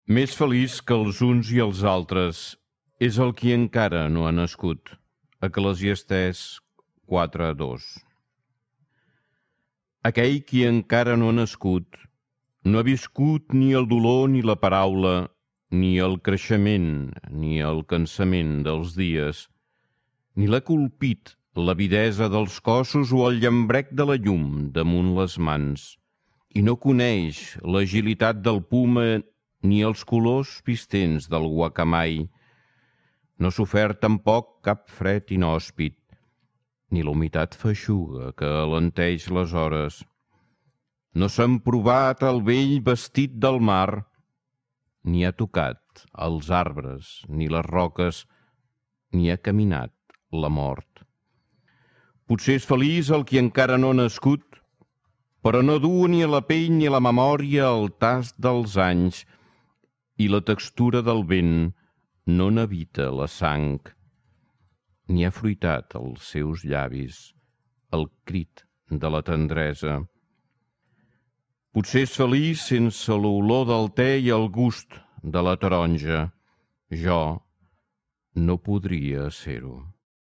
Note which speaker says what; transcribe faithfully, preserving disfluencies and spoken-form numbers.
Speaker 1: Més feliç que els uns i els altres és el qui encara no ha nascut. Eclesiastès quatre dos. Aquell qui encara no ha nascut no ha viscut ni el dolor ni la paraula, ni el creixement ni el cansament dels dies, ni l'ha colpit l'avidesa dels cossos o el llambrec de la llum damunt les mans, i no coneix l'agilitat del puma ni els colors vistents del guacamai. No ha sofert tampoc cap fred inhòspit, ni la humitat feixuga que alenteix les hores. No s'han provat el vell vestit del mar, ni ha tocat els arbres ni les roques, ni ha caminat la mort. Potser és feliç el qui encara no ha nascut, però no du ni a la pell ni a la memòria el tast dels anys, i la textura del vent no n'evita la sang, ni ha fruitat als seus llavis el crit de la tendresa. Potser és feliç sense l'olor del te i el gust de la taronja. Jo no podria ser-ho.